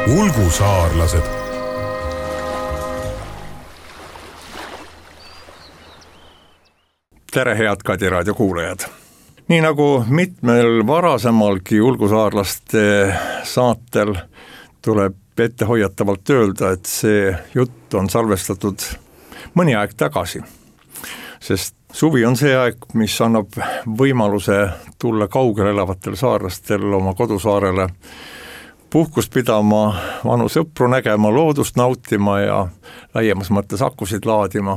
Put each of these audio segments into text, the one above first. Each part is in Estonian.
Ulgusaarlased. Tere, head Kadi raadio kuulajad! Nii nagu mitmel varasemalgi Ulgusaarlaste saatel tuleb ette hoiatavalt öelda, et see jutt on salvestatud mõni aeg tagasi. Sest suvi on see aeg, mis annab võimaluse tulla kaugel elavatel saarlastel oma kodusaarele puhkust pidama, vanu sõpru nägema, loodust nautima ja laiemas mõttes akusid laadima.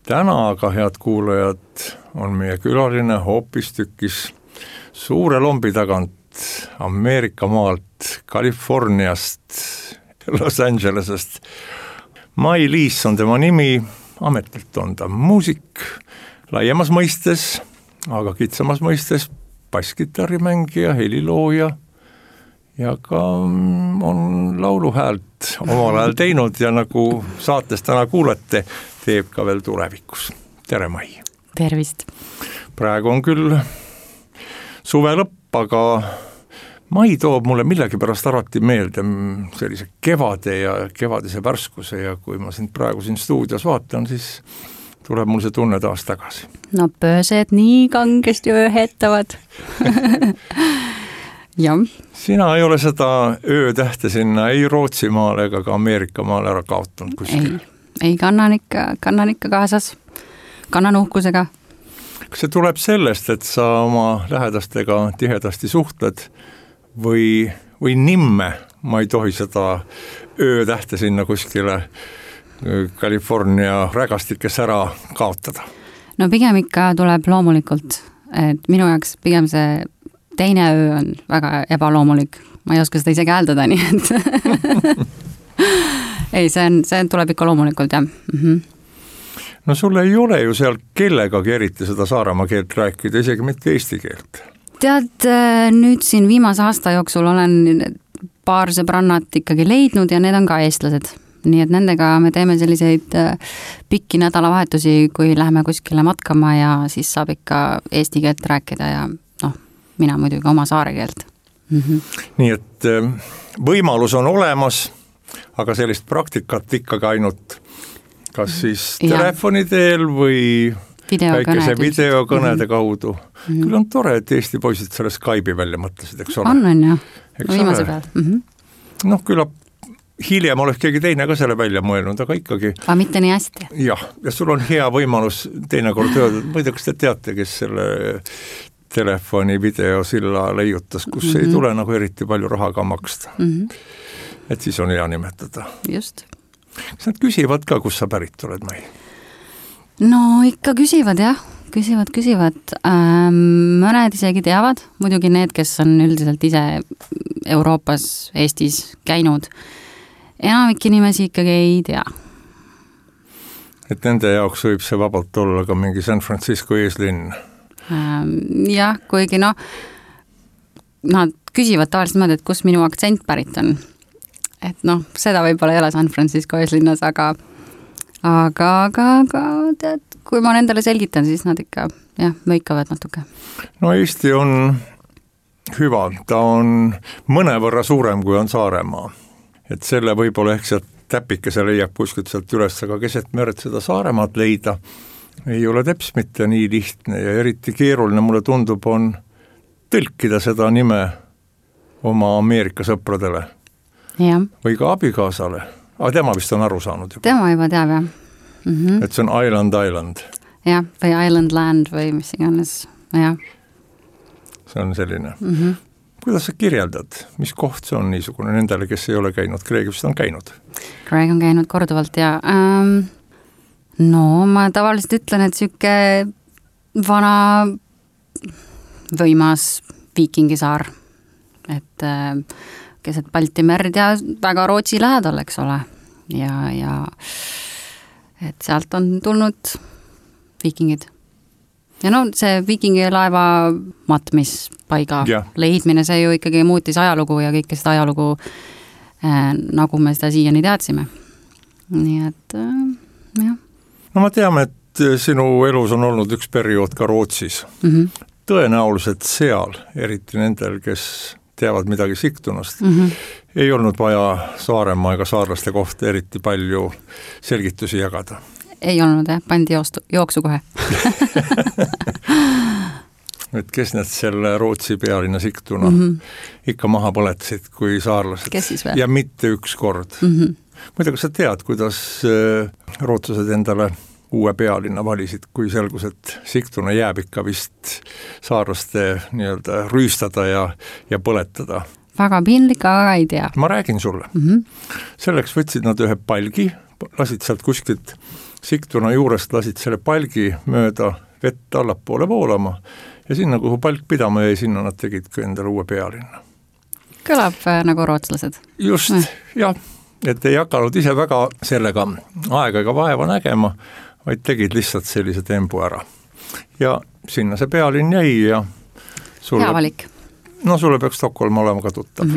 Täna aga, head kuulajad, on meie külaline hoopistükkis suure lombi tagant Ameerika maalt, Californiast, Los Angelesest. Mai Liis on tema nimi, ametilt on ta muusik, laiemas mõistes, aga kitsamas mõistes basskitarrimängija, helilooja ja ka on lauluhäält omal ajal teinud ja nagu saates täna kuulete, teeb ka veel tulevikus. Tere, Mai! Tervist! Praegu on küll suve lõpp, aga Mai toob mulle millegipärast alati meelde sellise kevade ja kevadise värskuse ja kui ma sind praegu siin stuudios vaatan, siis tuleb mul see tunne taas tagasi. No pöösed nii kangesti ööhetavad. Jah. Sina ei ole seda öötähte sinna ei Rootsimaale ega ka Ameerika maale ära kaotanud kuskil? Ei, kannan ikka kaasas, kannan uhkusega. Kas see tuleb sellest, et sa oma lähedastega tihedasti suhtled või nimme, ma ei tohi seda öötähte sinna kuskile California rägastikes ära kaotada? No pigem ikka tuleb loomulikult, et minu jaoks pigem see teine öö on väga ebaloomulik. Ma ei oska seda isegi hääldada, nii et ei, see tuleb ikka loomulikult, jah. No sul ei ole ju seal kellegagi eriti seda Saaremaa keelt rääkida, isegi mitte eesti keelt. Tead, nüüd siin viimase aasta jooksul olen paar sõbrannat ikkagi leidnud ja need on ka eestlased. Nii et nendega me teeme selliseid pikki nädalavahetusi, kui läheme kuskile matkama ja siis saab ikka eesti keelt rääkida ja mina muidugi oma saare keelt. Nii et võimalus on olemas, aga sellist praktikat ikkagi ainult kas siis telefoni teel või väikese videokõnede kaudu. Küll on tore, et Eesti poisid selle Skype'i välja mõtlesid, eks ole? On jah, viimase peal. Noh, küllap hiljem oleks keegi teine ka selle välja mõelnud, aga ikkagi. Aga mitte nii hästi. Jah, ja sul on hea võimalus teinekord öelda, ma ei tea, kas te teate, kes selle telefoni videosilla leiutas, kus ei tule nagu eriti palju raha ka maksta. Et siis on hea nimetada. Just. Kas nad küsivad ka, kus sa pärit oled, Mai? No ikka küsivad, jah. Küsivad. Mõned isegi teavad, muidugi need, kes on üldiselt ise Euroopas, Eestis käinud. Enamik inimesi ikkagi ei tea. Et nende jaoks võib see vabalt olla ka mingi San Francisco eeslinn. Jah, kuigi nad küsivad tavaliselt mõned, et kus minu aktsent pärit on. Et seda võib-olla ei ole San Francisco eeslinnas, aga tead, kui ma nendele selgitan, siis nad ikka mõikavad natuke. No Eesti on hüva, ta on mõnevõrra suurem, kui on Saaremaa. Et selle võib-olla ehk sealt täpikese leiab kuskilt sealt üles, aga keset merd seda Saaremaad leida ei ole teps mitte nii lihtne ja eriti keeruline mulle tundub on tõlkida seda nime oma Ameerika sõpradele. Ja. Või ka abikaasale. Aga tema vist on aru saanud juba. Tema juba teab, jah. Et see on Island. Jah, või Island Land või mis iganes, jah. See on selline. Kuidas sa kirjeldad? Mis koht see on niisugune nendele, kes ei ole käinud? Greg vist on käinud? Greg on käinud korduvalt ja no ma tavaliselt ütlen, et süke vana võimas viikingisaar. Et keset Balti merd ja väga Rootsi lähedal, eks ole. Ja et sealt on tulnud viikingid. Ja see viikingilaeva matmispaiga leidmine, see ju ikkagi muutis ajalugu ja kõike seda ajalugu, nagu me seda siiani teadsime. Nii et, jah. No ma teame, et sinu elus on olnud üks periood ka Rootsis. Tõenäoliselt seal, eriti nendel, kes teavad midagi Sigtunast. Ei olnud vaja Saaremaa ega saarlaste kohta eriti palju selgitusi jagada. Ei olnud, pandi jooksu kohe. Et kes need selle Rootsi pealinna Sigtuna ikka maha põletasid kui saarlased. Kes siis või? Ja mitte üks kord. Muidu, kas sa tead, kuidas rootslased endale uue pealinna valisid, kui selgus, et Sigtuna jääb ikka vist saarlaste nii-öelda rüüstada ja põletada? Väga piinlik, aga ei tea. Ma räägin sulle. Selleks võtsid nad ühe palgi, lasid sealt kuskilt Sigtuna juurest, lasid selle palgi mööda vett allapoole voolama ja sinna, kuhu palk pidama jäi, sinna nad tegid ka endale uue pealinna. Kõlab nagu rootslased. Just, jah, et ei hakanud ise väga sellega aega ega vaeva nägema, vaid tegid lihtsalt sellise tembu ära. Ja sinna see pealinn jäi ja sulle, hea valik. No sulle peaks Stockholm olema ka tuttav.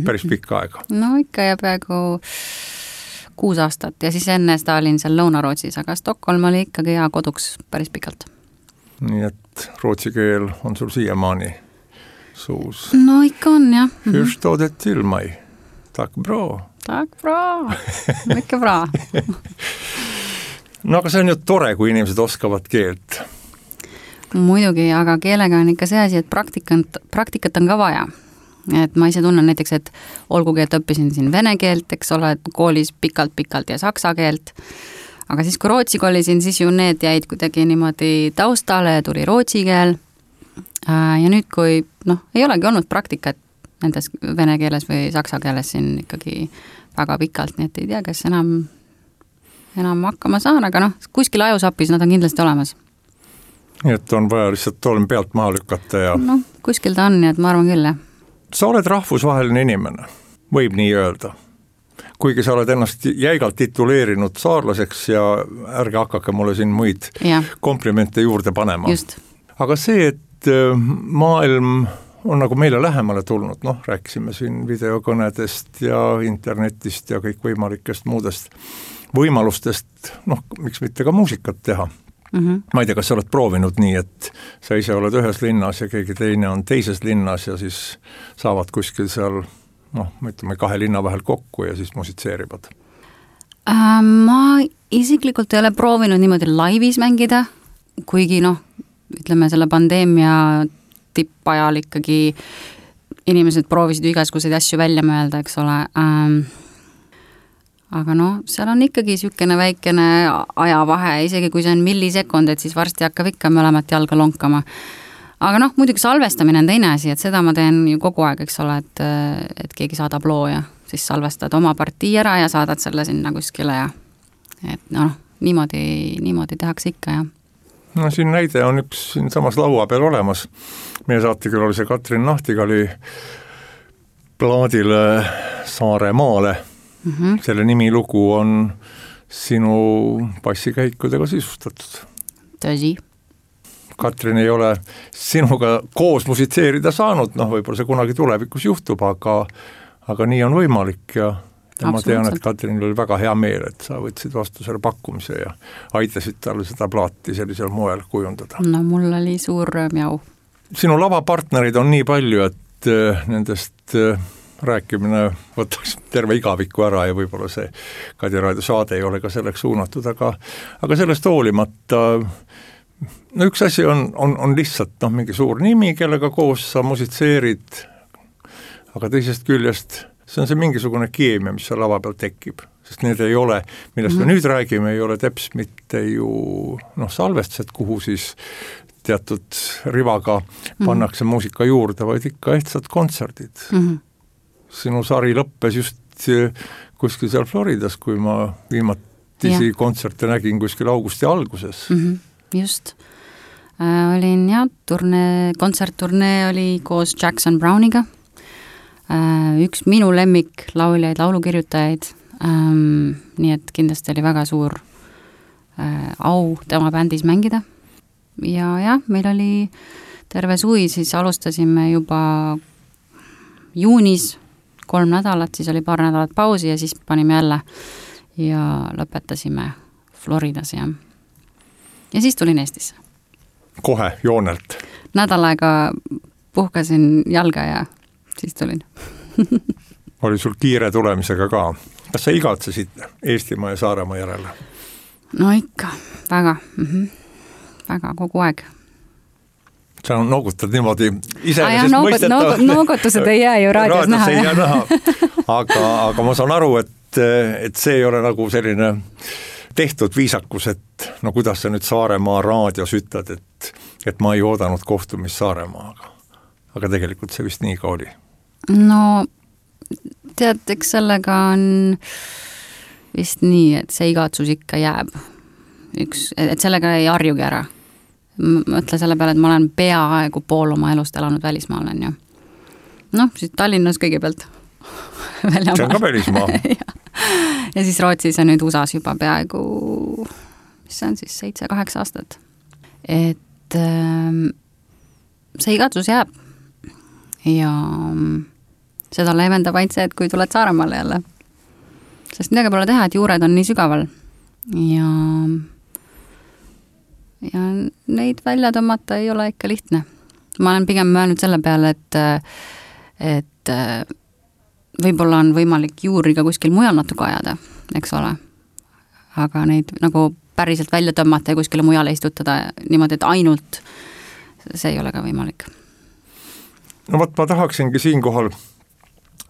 Päris pikka aega. No ikka ja peaaegu 6 aastat ja siis enne seda olin seal Lõuna-Rootsis, aga Stockholm oli ikkagi hea koduks päris pikalt. Nii et rootsi keel on sul siiamaani suus. No ikka on, jah. Förstådet till mig. Tack bra. Tack bra. Mycket bra. No aga see on ju tore, kui inimesed oskavad keelt. Muidugi, aga keelega on ikka see asi, et praktikat on ka vaja. Et ma ise tunnen näiteks, et olgugi, et õppisin siin vene keelt, eks ole, koolis pikalt ja saksa keelt, aga siis kui rootsi kolisin, siis ju need jäid kuidagi niimoodi taustale ja tuli rootsi keel. Ja nüüd, kui ei olegi olnud praktikat nendes vene keeles või saksa keeles siin ikkagi väga pikalt, nii et ei tea, kas enam hakkama saan, aga kuskil ajusapis nad on kindlasti olemas. Nii et on vaja lihtsalt tolm pealt maha lükata ja... Kuskil ta on, nii et ma arvan küll, jah. Sa oled rahvusvaheline inimene, võib nii öelda. Kuigi sa oled ennast jäigalt tituleerinud saarlaseks ja ärge hakake mulle siin muid komplimente juurde panema. Just. Aga see, et maailm on nagu meile lähemale tulnud, rääkisime siin videokõnedest ja internetist ja kõik võimalikest muudest võimalustest, miks mitte ka muusikat teha. Ma ei tea, kas sa oled proovinud nii, et sa ise oled ühes linnas ja keegi teine on teises linnas ja siis saavad kuskil seal, ütleme 2 linna vahel kokku ja siis musitseerivad? Ma isiklikult ei ole proovinud niimoodi laivis mängida, kuigi ütleme selle pandeemia tippajal ikkagi inimesed proovisid igasuguseid asju välja mõelda, eks ole. Aga seal on ikkagi sükene väikene ajavahe, isegi kui see on millisekund, et siis varsti hakkab ikka mõlemat jalga lonkama. Aga muidugi salvestamine on teine asi, et seda ma teen ju kogu aeg, eks ole, et keegi saadab loo ja siis salvestad oma partii ära ja saadad selle sinna kuskile ja et niimoodi tehakse ikka, jah. Siin näide on üks siin samas laua peal olemas. Meie saatekülalise Katrin Nahtigali plaadile Saaremaale. Selle nimilugu on sinu bassikäikudega sisustatud. Tõsi. Katrin ei ole sinuga koos musitseerida saanud, võib-olla see kunagi tulevikus juhtub, aga nii on võimalik ja ma tean, et Katrinil oli väga hea meel, et sa võtsid vastu selle pakkumise ja aitasid talle seda plaati sellisel moel kujundada. Mul oli suur rõõm jau. Sinu lavapartnerid on nii palju, et nendest rääkimine võtaks terve igaviku ära ja võib-olla see Kadi Raadio saade ei ole ka selleks suunatud, aga sellest hoolimata üks asi on lihtsalt mingi suur nimi, kellega koos sa musitseerid, aga teisest küljest see on see mingisugune keemia, mis seal lava peal tekib, sest need ei ole, millest me nüüd räägime, ei ole teps mitte ju salvestused, kuhu siis teatud rivaga pannakse muusika juurde, vaid ikka ehtsad kontserdid. Sinu sari lõppes just kuskil seal Floridas, kui ma viimatisi kontserte nägin kuskil augusti alguses. Just. Olin kontsertturnee oli koos Jackson Browniga. Üks minu lemmik lauljaid, laulukirjutajaid. Nii et kindlasti oli väga suur au tema bändis mängida. Ja meil oli terve suvi, siis alustasime juba juunis 3 nädalat, siis oli paar nädalat pausi ja siis panime jälle ja lõpetasime Floridas ja siis tulin Eestisse. Kohe joonelt? Nädal aega puhkasin jalga ja siis tulin. Oli sul kiire tulemisega ka. Kas sa igatsesid Eestimaa ja Saaremaa järele? No ikka, väga. Väga kogu aeg. Sa noogutad niimoodi noogutused ei jää ju raadios näha. Aga ma saan aru, et see ei ole nagu selline tehtud viisakus, et no kuidas sa nüüd Saaremaa raadios ütled, et ma ei oodanud kohtumist Saaremaaga. Aga tegelikult see vist nii ka oli. No tead, eks sellega on vist nii, et see igatsus ikka jääb. Et sellega ei harjugi ära. Mõtle selle peale, et ma olen peaaegu pool oma elust elanud välismaal, on ju. Noh, siis Tallinnas kõigepealt. See on ka välismaa. Ja siis Rootsis ja nüüd USAs juba peaaegu, mis see on siis, 7-8 aastat. Et see igatsus jääb. Ja seda leevendab ainult see, et kui tuled Saaremaale jälle. Sest midagi pole teha, et juured on nii sügaval. Ja neid välja tõmmata ei ole ikka lihtne. Ma olen pigem mõelnud selle peale, et võib-olla on võimalik juuri ka kuskil mujal natuke ajada, eks ole. Aga neid nagu päriselt välja tõmmata ja kuskile mujale istutada niimoodi, et ainult see ei ole ka võimalik. No võt, ma tahaksingi siinkohal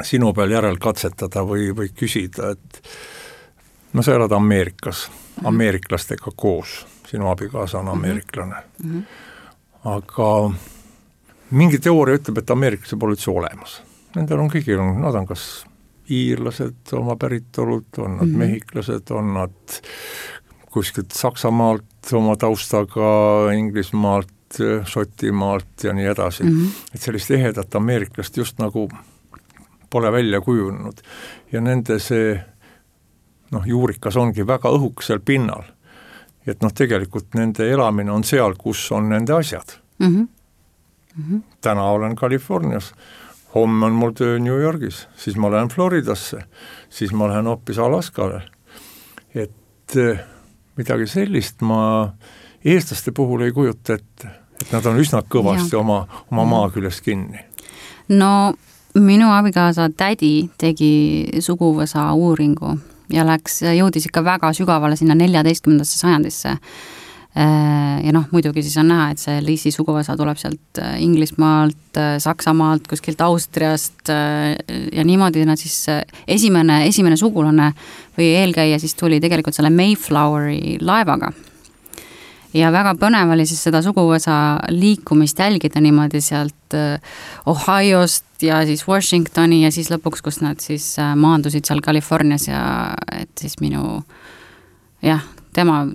sinu peal järel katsetada või küsida, et no sa elad Ameerikas, ameeriklastega koos. Sinu abikaasa on ameeriklane. Aga mingi teooria ütleb, et ameeriklased pole üldse olemas. Nendel on kõigil, nad on kas iirlased oma päritolud, on nad mehhiklased, on nad kuskilt Saksamaalt oma taustaga, Inglismaalt, Šotimaalt ja nii edasi. Et sellist ehedat ameeriklast just nagu pole välja kujunenud. Ja nende see juurikas ongi väga õhukesel pinnal. Et tegelikult nende elamine on seal, kus on nende asjad. Täna olen Californias, homme on mul töö New Yorgis, siis ma lähen Floridasse, siis ma lähen hoopis Alaskale. Et midagi sellist ma eestlaste puhul ei kujuta, et nad on üsna kõvasti oma maa küljest kinni. No minu abikaasa tädi tegi suguvõsa uuringu ja jõudis ikka väga sügavale sinna 14. sajandisse. Ja muidugi siis on näha, et see Liisi suguvõsa tuleb sealt Inglismaalt, Saksamaalt, kuskilt Austriast ja niimoodi nad siis esimene sugulane või eelkäija siis tuli tegelikult selle Mayfloweri laevaga. Ja väga põnev oli siis seda suguvõsa liikumist jälgida niimoodi sealt Ohiost ja siis Washingtoni ja siis lõpuks, kus nad siis maandusid seal Californias ja et siis tema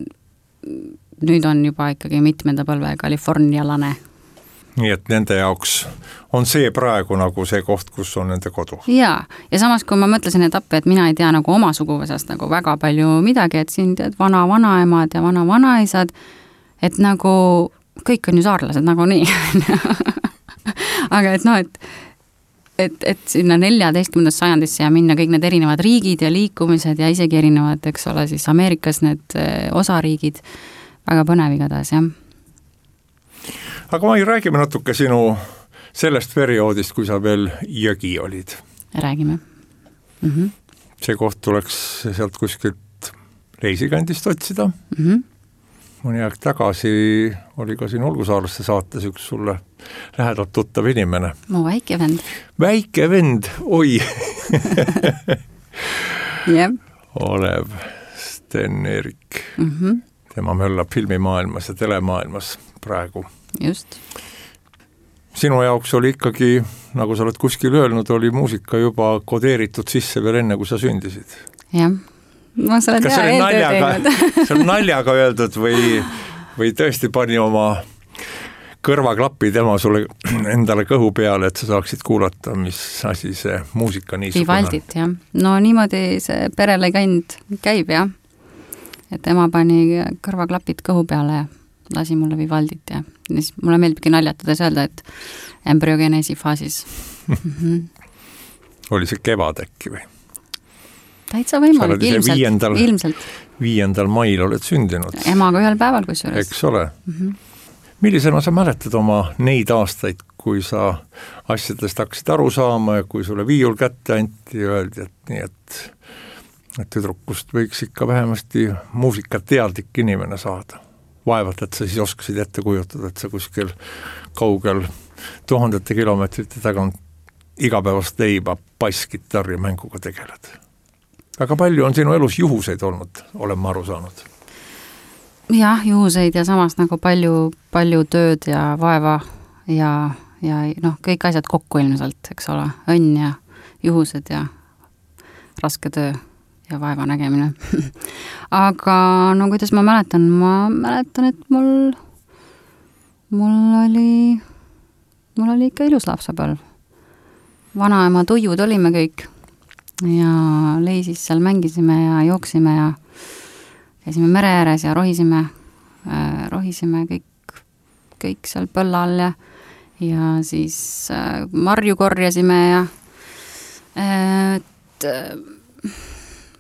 nüüd on juba ikkagi mitmenda põlve kalifornialane. Nii et nende jaoks on see praegu nagu see koht, kus on nende kodu. Ja samas kui ma mõtlesin etappi, et mina ei tea nagu oma suguvõsast nagu väga palju midagi, et siin tead vana-vanaemad ja vana-vanaisad, et nagu kõik on ju saarlased nagu nii. Aga et sinna 14. sajandisse ja minna kõik need erinevad riigid ja liikumised ja isegi erinevad, eks ole, siis Ameerikas need osariigid, väga põnev igatahes, jah. Aga ma räägime natuke sinu sellest perioodist, kui sa veel jõgi olid. Räägime. See koht tuleks sealt kuskilt reisikandist otsida. Mõni aeg tagasi oli ka siin Olgusaarlaste saates üks sulle lähedalt tuttav inimene. Mu väike vend. Väike vend, oi! Jep. Olev Sten-Erik. Tema möllab filmimaailmas ja telemaailmas praegu. Just. Sinu jaoks oli ikkagi, nagu sa oled kuskil öelnud, oli muusika juba kodeeritud sisse veel enne, kui sa sündisid. Jah. Ma sa oled hea eeltöö teinud. See on naljaga öeldud või tõesti pani oma kõrvaklappi tema sulle endale kõhu peale, et sa saaksid kuulata, mis asi see muusika niisugune. Vivaldit, jah. No niimoodi see perele käib, jah. Et ema pani kõrvaklapid kõhu peale ja lasi mulle Vivaldit ja siis mulle meeldibki naljatades öelda, et embryogenesi faasis. Oli see kevad äkki või? Täitsa võimalik, ilmselt. 5. mail oled sündinud. Emaga ühel päeval kusjuures. Eks ole. millisena sa mäletad oma neid aastaid, kui sa asjadest hakkasid aru saama ja kui sulle viiul kätte anti ja öeldi, et nii, et tüdrukust võiks ikka vähemasti muusikateadlik inimene saada. Vaevalt, et sa siis oskasid ette kujutada, et sa kuskil kaugel 1000 kilomeetrite tagant igapäevast leiba basskitarri mänguga tegeled. Väga palju on sinu elus juhuseid olnud, olen ma aru saanud. Jah, juhuseid ja samas nagu palju tööd ja vaeva ja noh, kõik asjad kokku ilmselt, eks ole, õnn ja juhused ja raske töö ja vaeva nägemine. Aga no kuidas ma mäletan, et mul oli ikka ilus lapsepõlv. Vanaema tuiud olime kõik ja leisis seal mängisime ja jooksime ja käisime mere ääres ja rohisime kõik seal põlla all ja siis marju korjasime ja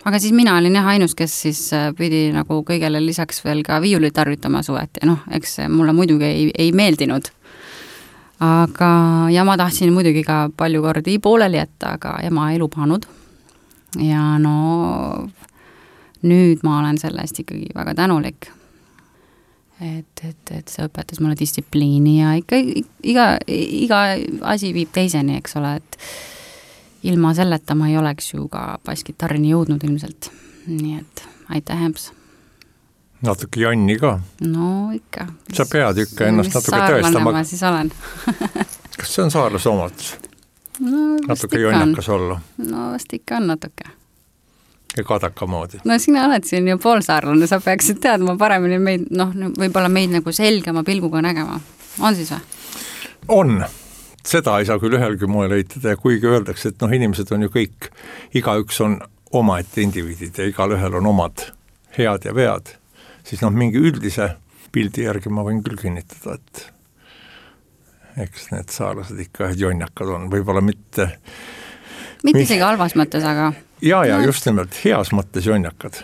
aga siis mina olin jah ainus, kes siis pidi nagu kõigele lisaks veel ka viiulit tarvitama suveti. Noh, eks mulle muidugi ei meeldinud. Ja ma tahtsin muidugi ka palju kordi pooleli jätta, aga ema ei lubanud. Ja no nüüd ma olen selle eest ikkagi väga tänulik. Et see õpetas mulle distsipliini ja ikka iga asi viib teiseni, eks ole, et ilma selleta ma ei oleks ju ka basskitarrini jõudnud ilmselt. Nii et aitäh, Hemps. Natuke Janni ka. No ikka. Sa pead ikka ennast natuke tõestama. Ma siis olen. Kas see on saarlase omadus? No, natuke jonnakas olla. No vast ikka on natuke. Ja kadaka moodi. No sina oled siin ju poolsaarlane, sa peaksid teadma paremini meid, noh, võib-olla meid nagu selgema pilguga nägema. On siis või? On. Seda ei saa küll ühelgi moel eitada ja kuigi öeldakse, et noh, inimesed on ju kõik, igaüks on omaette indiviidid ja igal ühel on omad head ja vead, siis noh, mingi üldise pildi järgi ma võin küll kinnitada, et eks need saarlased ikka ühed jonnakad on, võib-olla mitte isegi halvas mõttes, aga ja just nimelt heas mõttes jonnakad,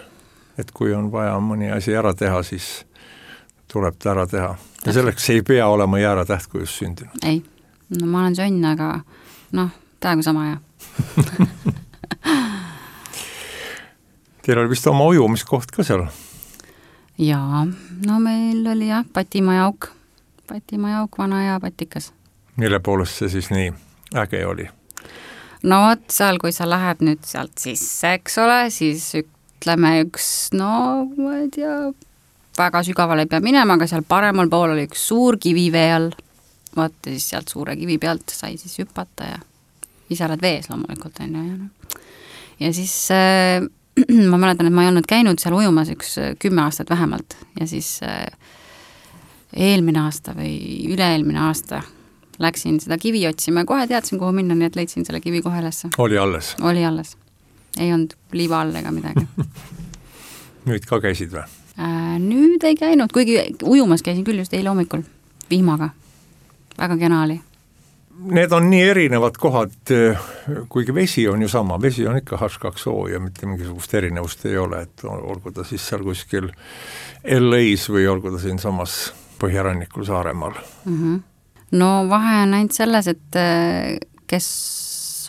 et kui on vaja mõni asi ära teha, siis tuleb ta ära teha ja selleks ei pea olema jääratäht, kui just sündinud. Ei. No ma olen sõnn, aga noh, täiega sama ja. Teil oli vist oma ujumiskoht ka seal? Jaa, no meil oli jah, Patimajauk, vana ja patikas. Mille poolest see siis nii äge oli? No võt, seal, kui sa lähed nüüd sealt sisse, eks ole, siis ütleme üks, no ma ei tea, väga sügavale ei pea minema, aga seal paremal pool oli üks suur kivi vee all. Vaata siis sealt suure kivi pealt sai siis hüpata ja ise oled vees loomulikult. Ja siis ma mäletan, et ma ei olnud käinud seal ujumas üks 10 aastat vähemalt ja siis eelmine aasta või üle-eelmine aasta läksin seda kivi otsima ja kohe teadsin, kuhu minna, nii et leidsin selle kivi kohe ülesse. Oli alles? Oli alles. Ei olnud liiva all ega midagi. Nüüd ka käisid või? Nüüd ei käinud, kuigi ujumas käisin küll just eile hommikul vihmaga. Väga kena oli. Need on nii erinevad kohad, kuigi vesi on ju sama, vesi on ikka H2O ja mitte mingisugust erinevust ei ole, et olgu ta siis seal kuskil LA-s või olgu ta siin samas Põhjarannikul Saaremaal. No vahe on ainult selles, et kes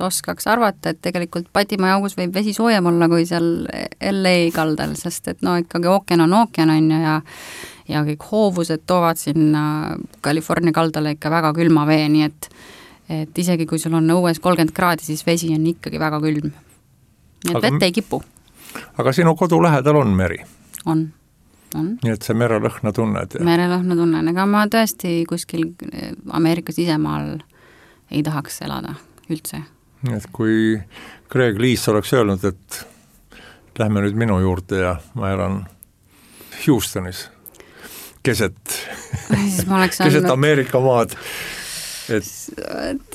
oskaks arvata, et tegelikult Patimajaugus võib vesi soojem olla kui seal LA kaldal, sest et no ikkagi ookean on ja kõik hoovused toovad sinna California kaldale ikka väga külma vee, nii et isegi kui sul on õues 30 kraadi, siis vesi on ikkagi väga külm. Nii et vett ei kipu. Aga sinu kodu lähedal on meri? On. Nii et see merelõhna tunned? Merelõhna tunnen, ega ma tõesti kuskil Ameerikas isemaal ei tahaks elada üldse. Nii et kui Greg Liis oleks öelnud, et lähme nüüd minu juurde ja ma elan Houstonis, keset Ameerika maad, et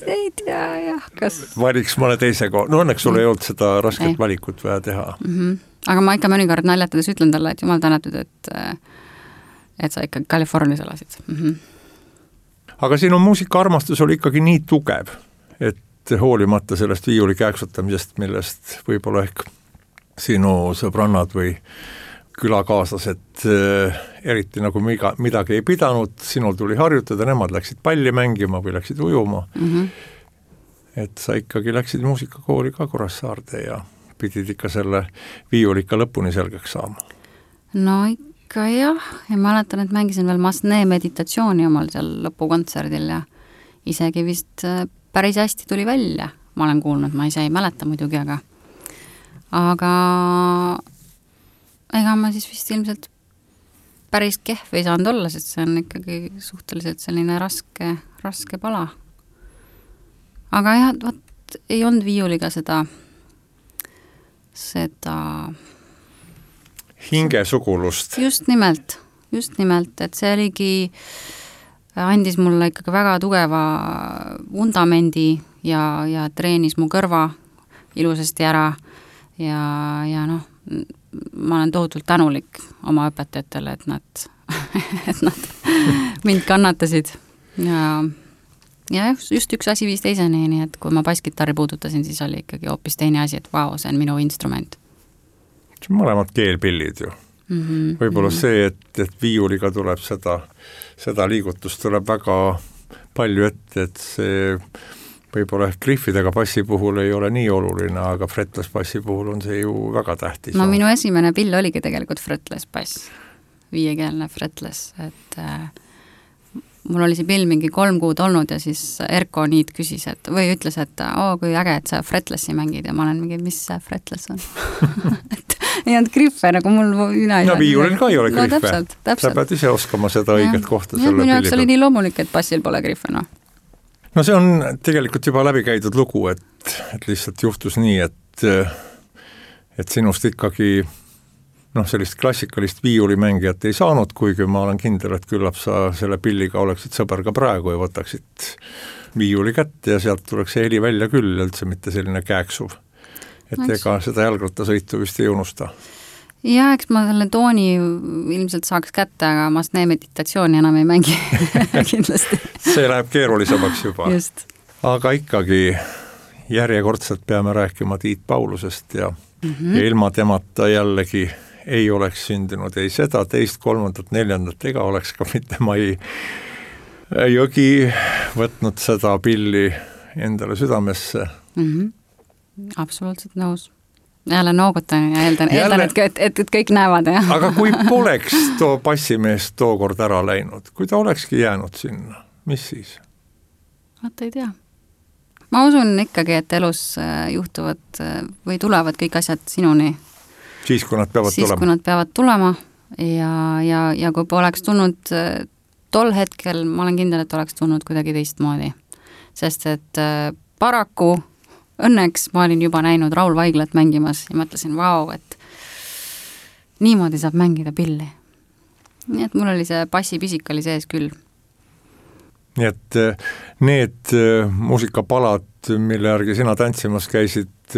ei tea, jah, kas valiks mõne teise koha. No õnneks sul ei olnud seda rasket valikut vaja teha. Aga ma ikka mõnikord naljatades ütlen talle, et jumal tänatud, et sa ikka Californias elasid. Aga sinu muusikaarmastus oli ikkagi nii tugev, et hoolimata sellest viiuli kääksutamisest, millest võib-olla ehk sinu sõbrannad või külakaaslased eriti nagu midagi ei pidanud, sinul tuli harjutada, nemad läksid palli mängima või läksid ujuma. Et sa ikkagi läksid muusikakooli ka Kuressaarde ja pidid ikka selle viiulika lõpuni selgeks saama. No ikka jah, ja mäletan, et mängisin veel Masne meditatsiooni omal seal lõpukontserdil ja isegi vist päris hästi tuli välja, ma olen kuulnud, ma ise ei mäleta muidugi, aga ega ma siis vist ilmselt päris kehv ei saanud olla, sest see on ikkagi suhteliselt selline raske pala. Aga jah, vaat ei olnud viiuliga seda hingesugulust. Just nimelt, et see oligi, andis mulle ikkagi väga tugeva vundamendi ja treenis mu kõrva ilusasti ära ja noh, ma olen tohutult tänulik oma õpetajatele, et nad mind kannatasid ja just üks asi viis teiseni, nii et kui ma basskitarri puudutasin, siis oli ikkagi hoopis teine asi, et vau, see on minu instrument. Mõlemad keelpillid ju. Võib-olla see, et viiuliga tuleb seda liigutust tuleb väga palju ette, et see võib-olla griffidega bassi puhul ei ole nii oluline, aga fretless bassi puhul on see ju väga tähtis. No minu esimene pill oligi tegelikult fretless bass, 5-keelne fretless, et mul oli see pill mingi 3 kuud olnud ja siis Erko Niit küsis, või ütles, et kui äge, et sa fretlessi mängid ja ma olen mingi, mis see fretless on? Et ei olnud griffe, nagu mul no viiulil ka ei ole griffe. No, täpselt. Sa pead ise oskama seda õiget kohta selle minu pilli jaoks oli nii loomulik, et bassil pole griffe, noh. No see on tegelikult juba läbi käidud lugu, et lihtsalt juhtus nii, et sinust ikkagi sellist klassikalist viiulimängijat ei saanud, kuigi ma olen kindel, et küllap sa selle pilliga oleksid sõber ka praegu ja võtaksid viiuli kätte ja sealt tuleks see heli välja küll, üldse mitte selline kääksuv. Et ega seda jalgrattasõitu vist ei unusta. Ja eks ma selle tooni ilmselt saaks kätte, aga Masne meditatsiooni enam ei mängi kindlasti. See läheb keerulisemaks juba. Just. Aga ikkagi järjekordselt peame rääkima Tiit Paulusest ja ilma temata jällegi ei oleks sündinud ei seda, 2., 3., 4. ega oleks ka mitte Mai Jõgi võtnud seda pilli endale südamesse. Absoluutselt nõus. Jälle noogutan ja eeldan et kõik näevad. Ja. Aga kui poleks too bassimees tookord ära läinud, kui ta olekski jäänud sinna, mis siis? Vaat ei tea. Ma usun ikkagi, et elus juhtuvad või tulevad kõik asjad sinuni. Siis, kui nad peavad tulema ja kui poleks tulnud tol hetkel, ma olen kindel, et oleks tulnud kuidagi teistmoodi. Sest et paraku õnneks ma olin juba näinud Raul Vaiglat mängimas ja mõtlesin, vau, et niimoodi saab mängida pilli. Nii et mul oli see bassipisik oli sees küll. Nii et need muusikapalad, mille järgi sina tantsimas käisid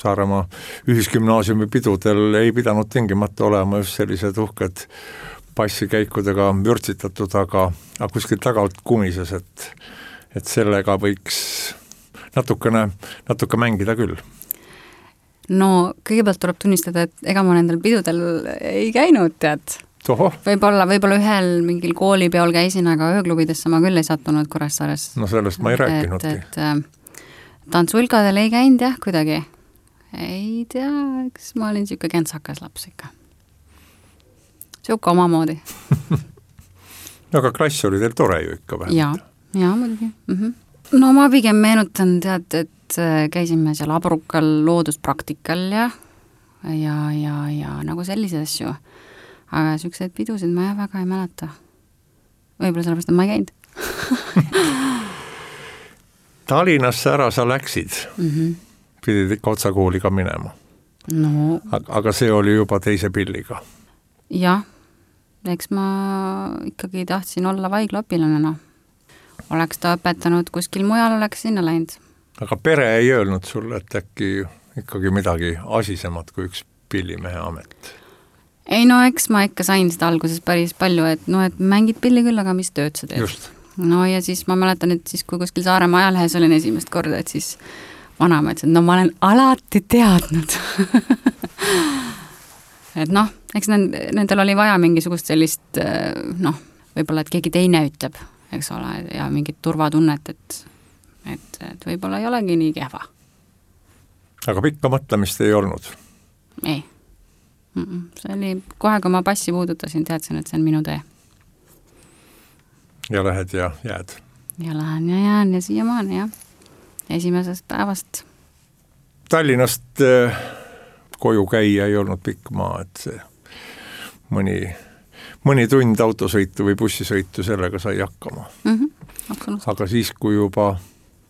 Saaremaa ühisgümnaasiumi pidudel, ei pidanud tingimata olema just sellised uhked bassikäikudega vürtsitatud, aga kuskilt tagalt kumises, et sellega võiks natuke mängida küll. No kõigepealt tuleb tunnistada, et ega ma nendel pidudel ei käinud, tead. Võib-olla ühel mingil koolipeol käisin, aga ööklubidesse ma küll ei sattunud Kuressaares. No sellest ma ei rääkinudki. Tantsulkadel ei käinud jah kuidagi. Ei tea, kas ma olin siuke kentsakas laps ikka. Siuke omamoodi. Aga klass oli teil tore ju ikka vähemalt. Ja muidugi. No ma pigem meenutan, tead, et käisime seal Abrukal looduspraktikal ja nagu sellised asju. Aga siukseid pidusid ma väga ei mäleta. Võib-olla sellepärast, et ma ei käinud. Tallinnasse ära sa läksid. Pidid ikka otsakooli ka minema. No. Aga see oli juba teise pilliga. Jah, eks ma ikkagi tahtsin olla vaiglaõpilane, no. Oleks ta õpetanud kuskil mujal, oleks sinna läinud. Aga pere ei öelnud sulle, et äkki ikkagi midagi asisemat kui üks pillimehe amet? Ei no, eks ma ikka sain seda alguses päris palju, et mängid pilli küll, aga mis tööd sa teed? Just. No ja siis ma mäletan, et siis kui kuskil Saaremaa ajalehes olin esimest korda, et siis vanaema ütles, et no ma olen alati teadnud. et noh, eks nendel oli vaja mingisugust sellist võib-olla, et keegi teine ütleb, eks ole, ja mingit turvatunnet, et võib-olla ei olegi nii kehva. Aga pikka mõtlemist ei olnud? Ei. See oli kohe, kui ma passi puudutasin, teadsin, et see on minu tee. Ja lähed ja jääd? Ja lähen ja jään ja siiamaani, jah. Esimesest päevast. Tallinnast koju käia ei olnud pikk maa, et see mõni tund autosõitu või bussisõitu sellega sai hakkama. Aga siis, kui juba,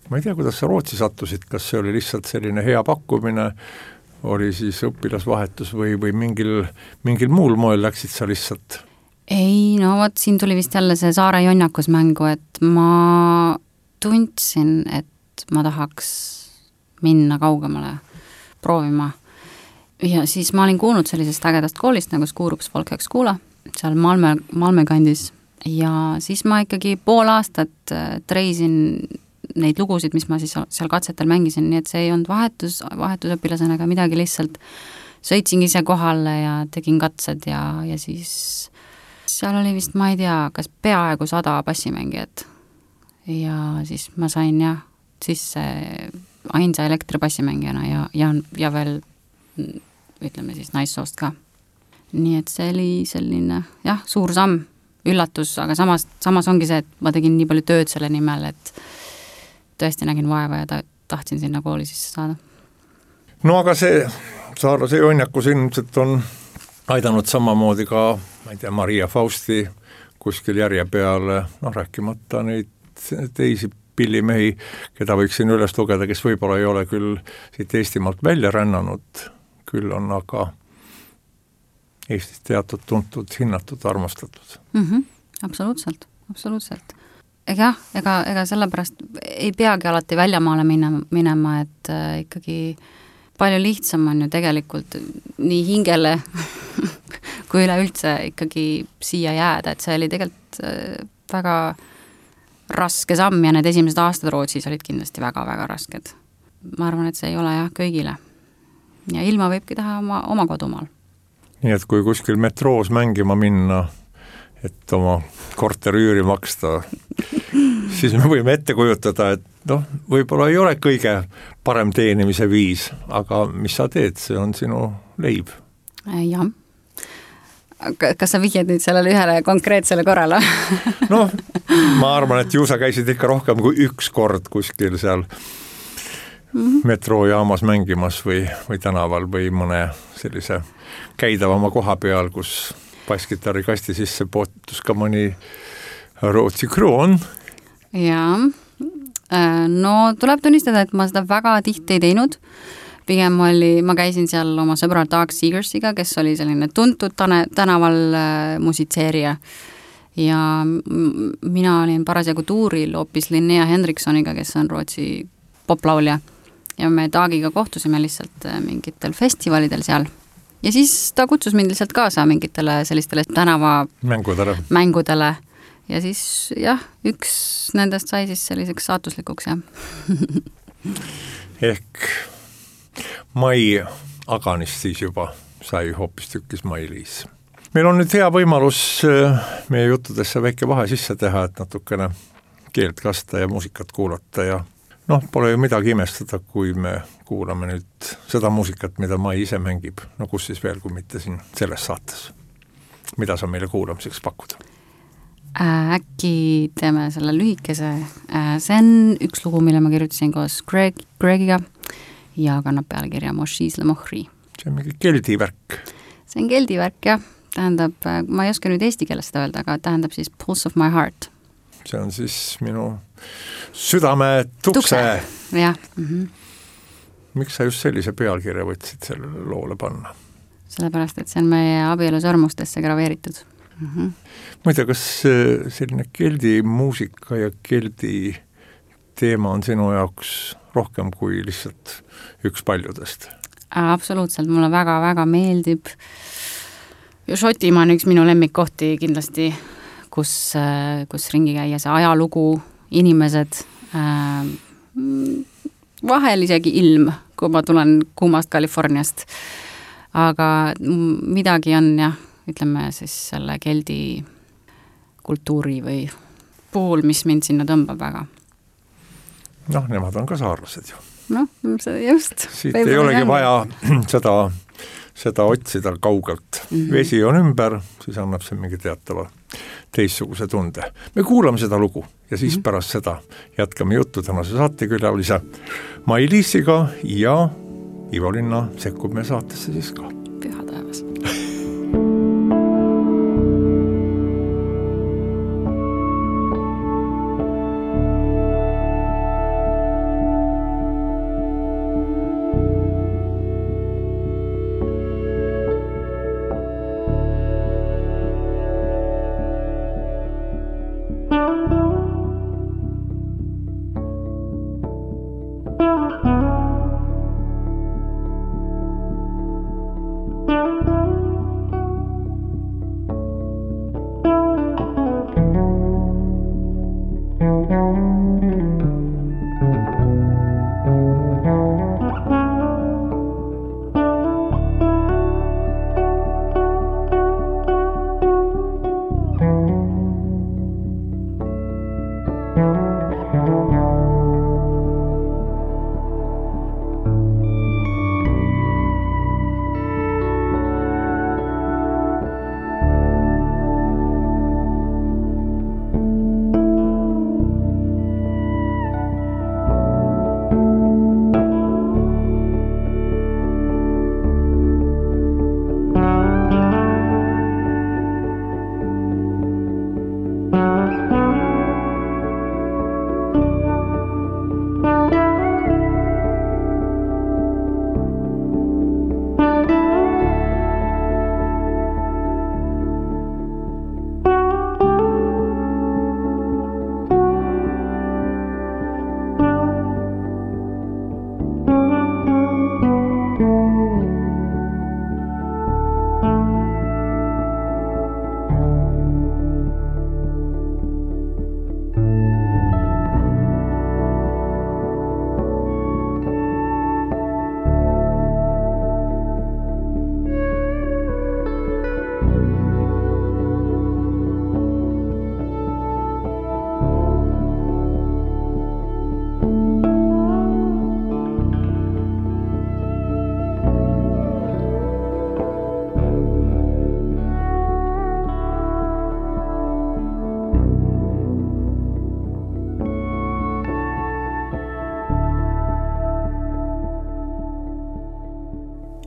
ma ei tea, kuidas sa Rootsi sattusid, kas see oli lihtsalt selline hea pakkumine, oli siis õpilasvahetus või mingil muul moel läksid sa lihtsalt? Ei, no vot, siin tuli vist jälle see Saare jonnakus mängu, et ma tundsin, et ma tahaks minna kaugemale proovima. Ja siis ma olin kuulnud sellisest ägedast koolist nagu Skurups Folkhögskola, seal Malmö kandis ja siis ma ikkagi pool aastat treisin neid lugusid, mis ma siis seal katsetel mängisin, nii et see ei olnud vahetusõpilasena ega midagi, lihtsalt sõitsin ise kohale ja tegin katsed ja siis seal oli vist, ma ei tea, kas peaaegu 100 bassimängijat ja siis ma sain sisse ainsa elektribassimängijana ja veel ütleme siis naissoost ka. Nii et see oli selline, suur samm, üllatus, aga samas ongi see, et ma tegin nii palju tööd selle nimel, et tõesti nägin vaeva ja tahtsin sinna kooli sisse saada. No aga see Saarlase jonnakus ilmselt on aidanud samamoodi ka, ma ei tea, Maria Fausti kuskil järje peale, rääkimata neid teisi pillimehi, keda võiksin üles lugeda, kes võib-olla ei ole küll siit Eestimaalt välja rännanud, küll on aga Eestis teatud, tuntud, hinnatud, armastatud. Absoluutselt. Ega sellepärast ei peagi alati väljamaale minema, et ikkagi palju lihtsam on ju tegelikult nii hingele kui üleüldse ikkagi siia jääda, et see oli tegelikult väga raske samm ja need esimesed aastad Rootsis olid kindlasti väga-väga rasked. Ma arvan, et see ei ole kõigile. Ja ilma võibki teha oma kodumaal. Nii et kui kuskil metroos mängima minna, et oma korterüüri maksta, siis me võime ette kujutada, et võib-olla ei ole kõige parem teenimise viis, aga mis sa teed, see on sinu leib. Jah. Kas sa vihjad nüüd sellele ühele konkreetsele korrale? Ma arvan, et ju sa käisid ikka rohkem kui üks kord kuskil seal metroojaamas mängimas või tänaval või mõne sellise käidavama koha peal, kus basskitarri kasti sisse pootus ka mõni Rootsi kroon. Jaa, no tuleb tunnistada, et ma seda väga tihti ei teinud. Pigem ma käisin seal oma sõbral Doug Seegersiga, kes oli selline tuntud tänaval musitseerija ja mina olin parasjagu tuuril hoopis Linnea Henriksoniga, kes on Rootsi poplaulja ja me Dougiga kohtusime lihtsalt mingitel festivalidel seal ja siis ta kutsus mind lihtsalt kaasa mingitele sellistele tänava mängudele ja siis üks nendest sai siis selliseks saatuslikuks ehk Mai Aganist siis juba sai hoopis tükkis Mai-Liis. Meil on nüüd hea võimalus meie juttudesse väike vahe sisse teha, et natukene keelt kasta ja muusikat kuulata ja pole ju midagi imestada, kui me kuulame nüüd seda muusikat, mida Mai ise mängib. Kus siis veel, kui mitte siin selles saates. Mida sa meile kuulamiseks pakkuda? Äkki teeme selle lühikese. See on üks lugu, mille ma kirjutasin koos Gregiga ja kannab pealkirja Moshis le Mohri. See on mingi keldivärk. See on keldivärk, jah. Tähendab, ma ei oska nüüd eesti keeles seda öelda, aga tähendab siis Pulse of my heart. See on siis minu südame tukse. Jah. Miks sa just sellise pealkirja võtsid sellele loole panna? Sellepärast, et see on meie abielusõrmustesse graveeritud. Ma ei tea, kas selline keldi muusika ja keldi teema on sinu jaoks rohkem kui lihtsalt üks paljudest? Absoluutselt, mulle väga-väga meeldib. Šotimaa on üks minu lemmikkohti kindlasti, kus ringi käia see ajalugu, inimesed, vahel isegi ilm, kui ma tulen kuumast Californiast. aga midagi on jah, ütleme siis selle keldi kultuuri või puhul, mis mind sinna tõmbab väga. Noh, nemad on ka saarlased ju. Noh, just. Siit ei olegi vaja seda otsida kaugelt. Vesi on ümber, siis annab see mingi teatava teistsuguse tunde. Me kuulame seda lugu ja siis pärast seda jätkame juttu tänase saatekülalise Mai-Liisiga ja Ivo Linna sekkub meie saatesse siis ka. Püha taevas.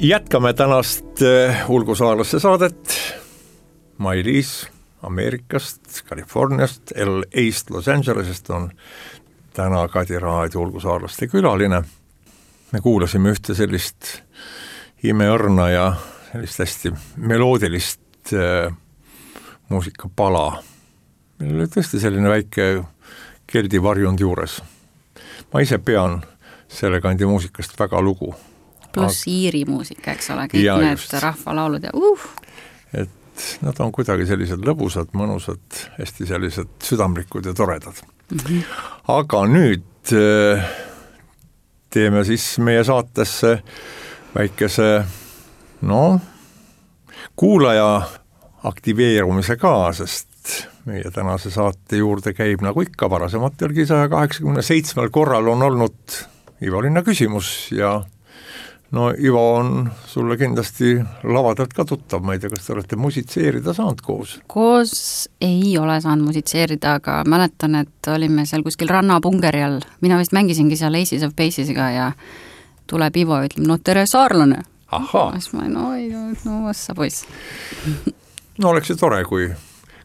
Jätkame tänast ulgusaarlasse saadet. Mai-Liis Ameerikast, Californiast, LA-st, Los Angelesest on täna Kadi Raadio ulgusaarlaste külaline. Me kuulasime ühte sellist imeõrna ja sellist hästi meloodilist muusikapala. Meil oli tõesti selline väike keldi varjund juures. Ma ise pean selle kandi muusikast väga lugu. Pluss Iiri muusika, eks ole, kõik ja, need rahvalaulud ja Et nad on kuidagi sellised lõbusad, mõnusad, hästi sellised südamlikud ja toredad. Aga nüüd teeme siis meie saatesse väikese kuulaja aktiveerumise ka, sest meie tänase saate juurde käib nagu ikka varasematelgi 187 korral on olnud Ivo Linna küsimus ja Ivo on sulle kindlasti lavadelt ka tuttav, ma ei tea, kas te olete musitseerida saanud koos? Koos ei ole saanud musitseerida, aga mäletan, et olime seal kuskil rannapungeri all. Mina vist mängisingi seal Aces of Basesiga ja tuleb Ivo ja ütleb, tere saarlane. Ahhaa. Vassa poiss. Oleks ju tore, kui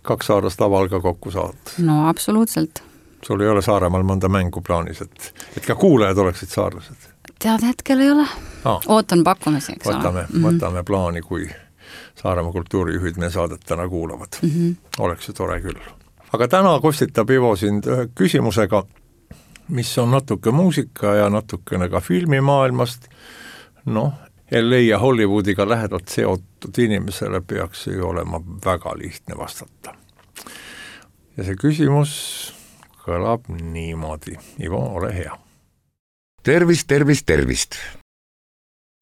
2 saarlast laval ka kokku saad. No absoluutselt. Sul ei ole Saaremaal mõnda mängu plaanis, et ka kuulajad oleksid saarlased? Tead, hetkel ei ole. Ootan pakkumisi, eks ole. Võtame plaani, kui Saaremaa kultuurijuhid meie saadet täna kuulavad. Oleks ju tore küll. Aga täna kostitab Ivo sind ühe küsimusega, mis on natuke muusika ja natukene ka filmimaailmast. LA ja Hollywoodiga lähedalt seotud inimesele peaks ju olema väga lihtne vastata. Ja see küsimus kõlab niimoodi. Ivo, ole hea. Tervist, tervist, tervist.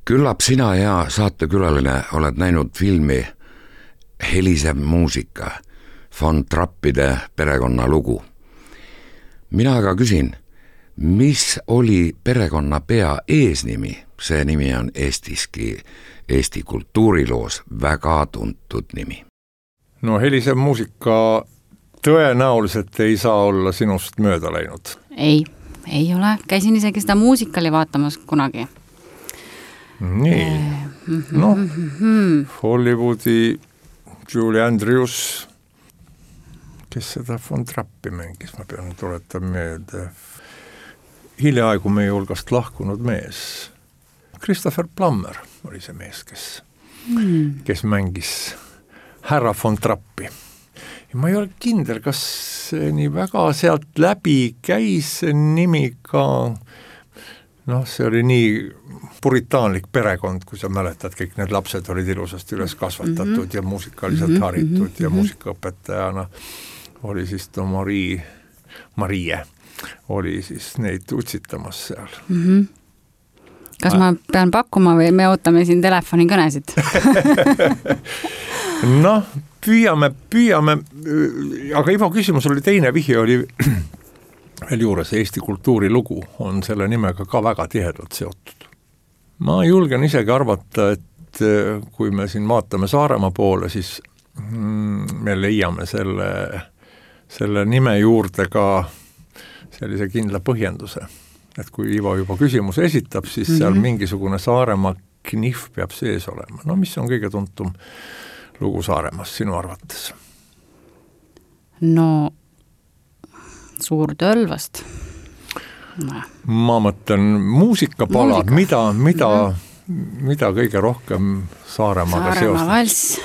Küllap sina, hea saatekülaline, oled näinud filmi Helisev muusika, von Trappide perekonnalugu. Mina aga küsin, mis oli perekonna pea eesnimi? See nimi on Eestiski, Eesti kultuuriloos väga tuntud nimi. No Helisev muusika tõenäoliselt ei saa olla sinust mööda läinud. Ei ole. Käisin isegi seda muusikali vaatamas kunagi. Nii, Hollywoodi Julie Andrews, kes seda von Trappi mängis, ma pean tuletama meelde. Hiljaaegu meie hulgast lahkunud mees. Christopher Plummer oli see mees, kes mängis härra von Trappi. Ja ma ei ole kindel, kas see nii väga sealt läbi käis see nimi ka, see oli nii puritaanlik perekond, kui sa mäletad, kõik need lapsed olid ilusasti üles kasvatatud ja muusikaliselt haritud ja muusikaõpetajana oli siis Marie oli siis neid utsitamas seal. Kas ma pean pakkuma või me ootame siin telefonikõnesid? Püüame, aga Ivo küsimus oli teine, vihje oli veel juures, Eesti kultuurilugu on selle nimega ka väga tihedalt seotud. Ma julgen isegi arvata, et kui me siin vaatame Saaremaa poole, siis me leiame selle nime juurde ka sellise kindla põhjenduse. Et kui Ivo juba küsimuse esitab, siis seal mingisugune Saaremaa knihv peab sees olema. Mis on kõige tuntum lugu Saaremaast sinu arvates? Suur Tölvast. Ma mõtlen muusikapala, mida kõige rohkem Saaremaaga seostab? Saaremaa valss.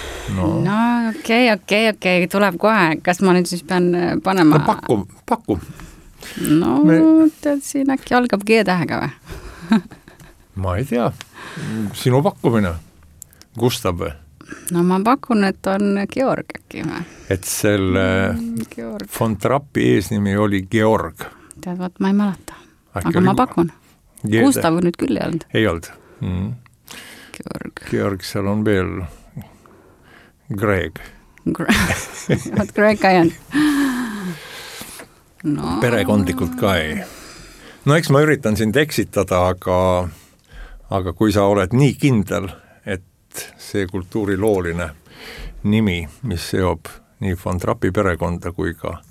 Okei, tuleb kohe. Kas ma nüüd siis pean panema? Paku. Tead, siin äkki algab G-tähega või? Ma ei tea. Sinu pakkumine? Gustav või? Ma pakun, et on Georg äkki või? Et selle von Trappi eesnimi oli Georg. Tead, ma ei mäleta. Aga ma pakun. Gustav nüüd küll ei olnud. Ei olnud. Georg, seal on veel Greg. Greg ka ei olnud. Perekondlikult ka ei. Eks ma üritan sind eksitada, aga kui sa oled nii kindel, et see kultuurilooline nimi, mis seob nii von Trappi perekonda kui ka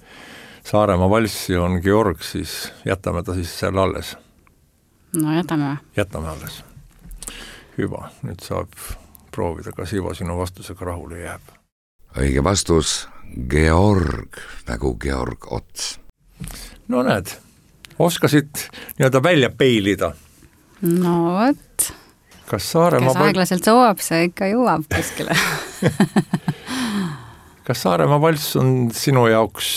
Saaremaa valssi on Georg, siis jätame ta siis selle alles. Jätame. Jätame alles. Hüva, nüüd saab proovida, kas Ivo sinu vastusega rahule jääb. Õige vastus, Georg, nagu Georg Ots. Näed, oskasid nii-öelda välja peilida. Võt. Kes aeglaselt soovab, see ikka jõuab kuskile. Kas Saaremaa valss on sinu jaoks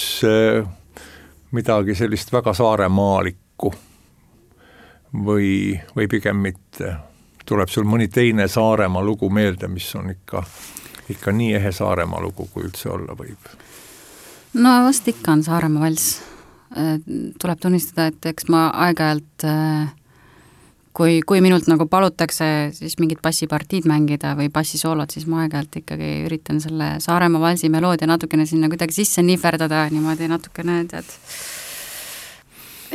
midagi sellist väga saaremaalikku või pigem mitte? Tuleb sul mõni teine Saaremaa lugu meelde, mis on ikka nii ehe Saaremaa lugu, kui üldse olla võib? Vast ikka on Saaremaa valss. Tuleb tunnistada, et eks ma aeg-ajalt, kui minult nagu palutakse siis mingid bassipartiid mängida või bassisoolod, siis ma aeg-ajalt ikkagi üritan selle Saaremaa valsi meloodia natukene sinna kuidagi sisse nihverdada, niimoodi natukene, tead.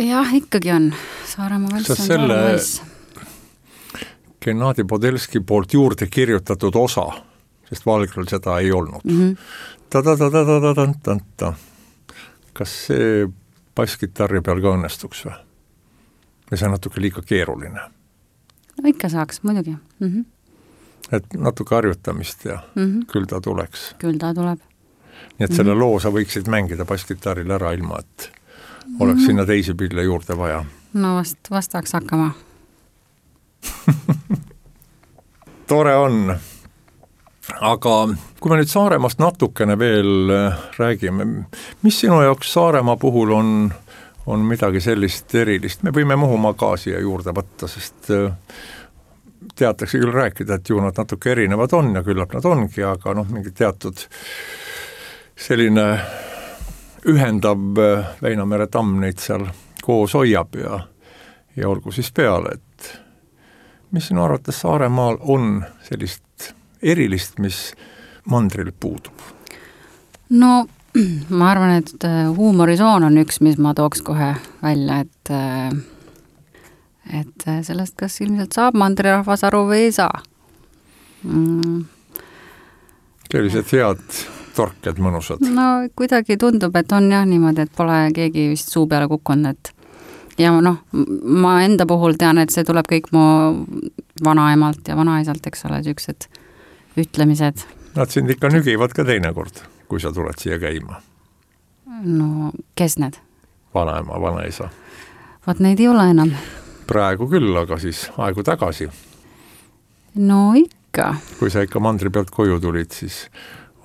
Jah, ikkagi on. Saaremaa valss on Saaremaa valss. Gennadi Podelski poolt juurde kirjutatud osa, sest Valgril seda ei olnud. Ta-ta-ta-ta-ta-ta-ta-ta. Kas see basskitarri peal ka õnnestuks või? Ja see on natuke liiga keeruline. Ikka saaks, muidugi. Et natuke harjutamist ja küll ta tuleks. Küll ta tuleb. Nii et selle loo sa võiksid mängida basskitarril ära ilma, et oleks sinna teisi pille juurde vaja. Vastaks hakkama. Tore on. Aga kui me nüüd Saaremaast natukene veel räägime, mis sinu jaoks Saaremaa puhul on midagi sellist erilist? Me võime Muhumaa ka siia juurde võtta, sest teatakse küll rääkida, et ju nad natuke erinevad on ja küllap nad ongi, aga mingi teatud selline ühendav Väinamere tamm neid seal koos hoiab ja olgu siis peale, et mis sinu arvates Saaremaal on sellist erilist, mis mandril puudub? No ma arvan, et huumorisoon on üks, mis ma tooks kohe välja, et sellest kas ilmselt saab mandrirahvas aru või ei saa. Sellised head torked, mõnusad. No kuidagi tundub, et on jah niimoodi, et pole keegi vist suu peale kukkunud, et ja noh, ma enda puhul tean, et see tuleb kõik mu vanaemalt ja vanaisalt, eks ole, siuksed ütlemised. Nad sind ikka nügivad ka teinekord, kui sa tuled siia käima. No, kes need? Vanaema, vanaisa. Vaat neid ei ole enam. Praegu küll, aga siis aegu tagasi. No ikka. Kui sa ikka mandri pealt koju tulid, siis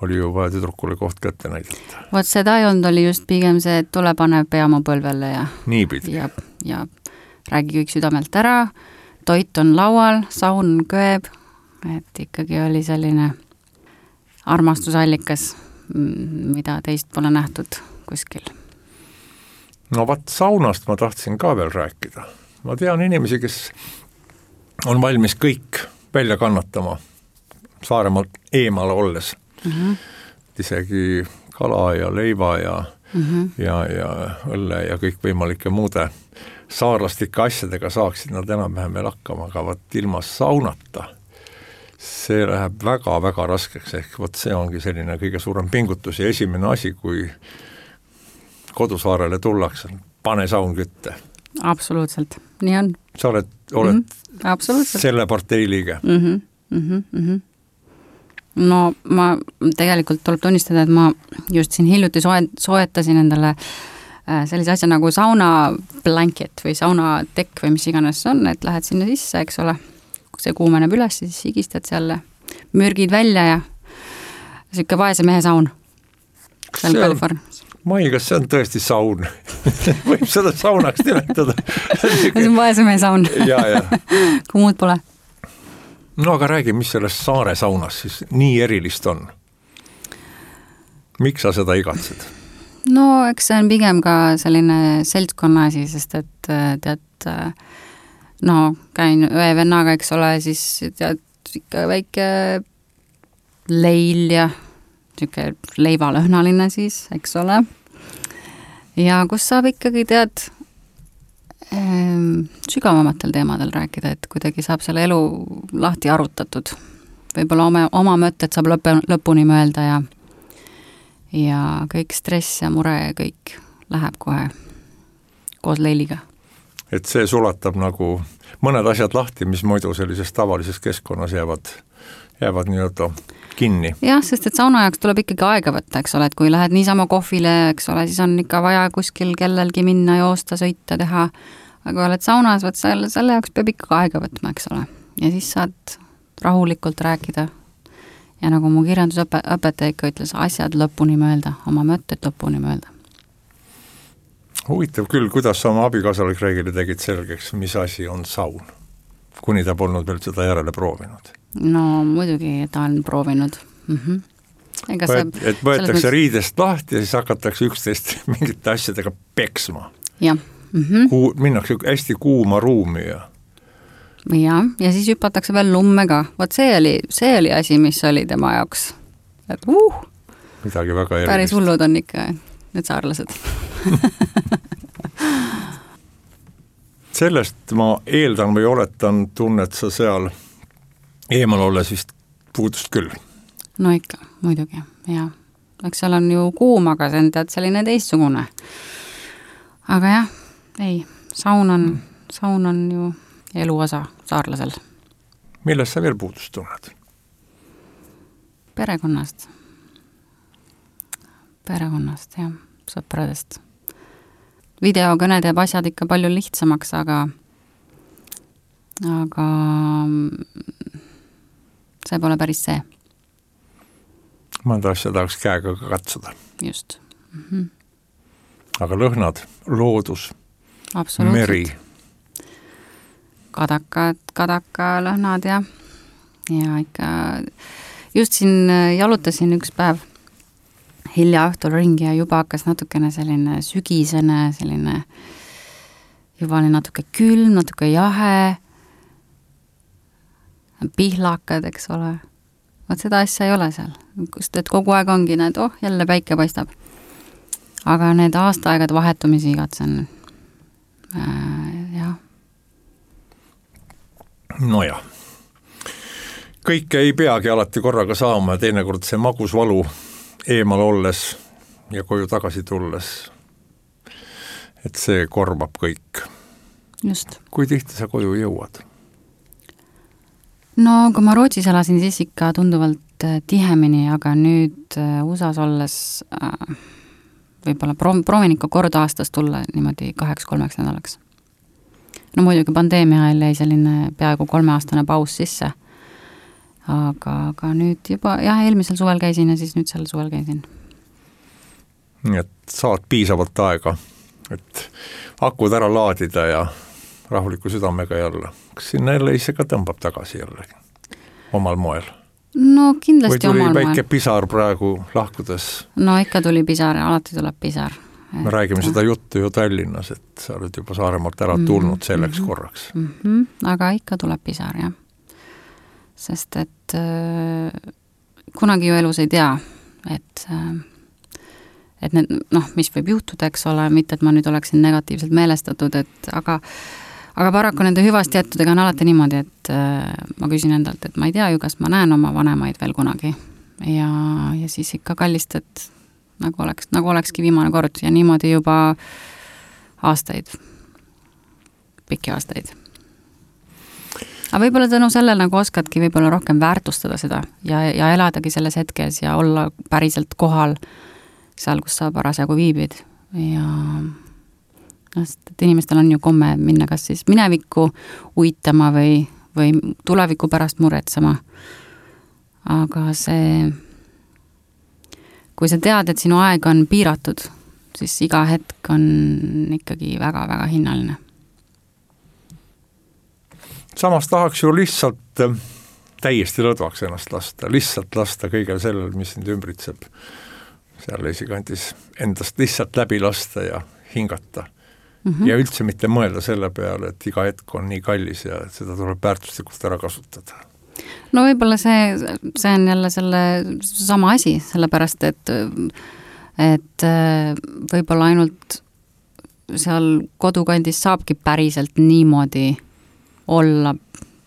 oli ju vaja tüdrukule koht kätte näidata. Vaat seda ei olnud, oli just pigem see, et tule pane pea mu põlvele ja niipidi. Ja räägi kõik südamelt ära, toit on laual, saun köeb, et ikkagi oli selline armastusallikas, mida teist pole nähtud kuskil. No vaat saunast ma tahtsin ka veel rääkida. Ma tean inimesi, kes on valmis kõik välja kannatama Saaremaalt eemal olles. Isegi kala ja leiva ja õlle ja kõik võimalike muude saarlastike asjadega saaksid nad enam-vähem veel hakkama, aga võt ilma saunata see läheb väga-väga raskeks, ehk võt see ongi selline kõige suurem pingutus ja esimene asi, kui kodusaarele tullakse, pane saun kütte. Absoluutselt, nii on. Sa oled selle partei liige? No ma tegelikult tuleb tunnistada, et ma just siin hiljuti soetasin endale sellise asja nagu sauna blanket või sauna tekk või mis iganes on, et lähed sinna sisse, eks ole, kui see kuumeneb üles, siis higistad seal mürgid välja ja siuke vaese mehe saun seal Californias. Mai, kas see on tõesti saun? Võib seda saunaks nimetada. See on vaese mehe saun. Kui muud pole. No aga räägi, mis selles saare saunas siis nii erilist on? Miks sa seda igatsed? No eks see on pigem ka selline seltskonna asi, sest et tead, no käin ühe vennaga, eks ole, siis tead ikka väike leil ja siuke leivalõhnaline siis, eks ole. Ja kus saab ikkagi tead sügavamatel teemadel rääkida, et kuidagi saab selle elu lahti arutatud. Võib-olla oma mõtted saab lõpuni mõelda ja kõik stress ja mure ja kõik läheb kohe koos leiliga. Et see sulatab nagu mõned asjad lahti, mis muidu sellises tavalises keskkonnas jäävad nii-öelda kinni. Jah, sest et sauna jaoks tuleb ikkagi aega võtta, eks ole, et kui lähed niisama kohvile, eks ole, siis on ikka vaja kuskil kellelgi minna, joosta, sõita, teha, aga oled saunas, võt selle jaoks peab ikka aega võtma, eks ole. Ja siis saad rahulikult rääkida ja nagu mu kirjandusõpetaja ikka ütles, asjad lõpuni mõelda, oma mõtted lõpuni mõelda. Huvitav küll, kuidas sa oma abikaasale Kreegile tegid selgeks, mis asi on saun, kuni ta polnud veel seda järele proovinud. No muidugi ta on proovinud. Et võetakse riidest lahti ja siis hakatakse üksteist mingite asjadega peksma. Jah. Minnakse hästi kuuma ruumi ja siis hüpatakse veel lumme ka. Vot see oli asi, mis oli tema jaoks. Et midagi väga erilist. Päris hullud on ikka need saarlased. Sellest ma eeldan või oletan, tunnet sa seal eemal olles vist puudust küll. No ikka, muidugi, jah. Eks seal on ju kuum, aga see on tead selline teistsugune. Aga jah, ei, saun on ju eluosa saarlasel. Millest sa veel puudust tunned? Perekonnast, jah, sõpradest. Videokõne teeb asjad ikka palju lihtsamaks, aga see pole päris see. Mõnda asja tahaks käega katsuda. Just. Aga lõhnad, loodus, meri. Kadaka lõhnad ja ikka just siin jalutasin üks päev hilja õhtul ringi ja juba hakkas natukene selline sügisene, selline juba oli natuke külm, natuke jahe pihlakad, eks ole. Vaat seda asja ei ole seal, kust et kogu aeg ongi need, jälle päike paistab. Aga need aastaaegad vahetumisi igatsen, jah. Nojah. Kõike ei peagi alati korraga saama ja teinekord see magusvalu eemal olles ja koju tagasi tulles, et see korvab kõik. Just. Kui tihti sa koju jõuad? No kui ma Rootsis elasin, siis ikka tunduvalt tihemini, aga nüüd USAs olles võib-olla proovin ikka kord aastas tulla niimoodi 2-3 nädalaks. No muidugi pandeemia ajal jäi selline peaaegu 3-aastane paus sisse, aga nüüd juba, jah, eelmisel suvel käisin ja siis nüüd sel suvel käisin. Nii et saad piisavalt aega, et akud ära laadida ja rahuliku südamega jälle. Kas sinna jälle ise ka tõmbab tagasi jälle omal moel? No kindlasti omal moel. Või tuli väike pisar praegu lahkudes? No ikka tuli pisar, alati tuleb pisar. Me räägime seda juttu ju Tallinnas, et sa oled juba Saaremaalt ära tulnud selleks korraks. Aga ikka tuleb pisar, jah. Sest et kunagi ju elus ei tea, et need, mis võib juhtuda, eks ole, mitte et ma nüüd oleksin negatiivselt meelestatud, aga paraku nende hüvast jättudega on alati niimoodi, et ma küsin endalt, et ma ei tea ju, kas ma näen oma vanemaid veel kunagi ja siis ikka kallistad nagu olekski viimane kord ja niimoodi juba aastaid, pikki aastaid. Aga võib-olla tänu sellel nagu oskadki võib-olla rohkem väärtustada seda ja eladagi selles hetkes ja olla päriselt kohal seal, kus sa parasjagu viibid ja et inimestel on ju komme minna kas siis minevikku uitama või tuleviku pärast muretsema. Aga kui sa tead, et sinu aeg on piiratud, siis iga hetk on ikkagi väga-väga hinnaline. Samas tahaks ju lihtsalt täiesti lõdvaks ennast lasta, lihtsalt lasta kõigel sellel, mis sind ümbritseb. Seal esikandis endast lihtsalt läbi lasta ja hingata. Ja üldse mitte mõelda selle peale, et iga hetk on nii kallis ja seda tuleb väärtuslikult ära kasutada. No võib-olla see on jälle selle sama asi, sellepärast, et võib-olla ainult seal kodukandis saabki päriselt niimoodi olla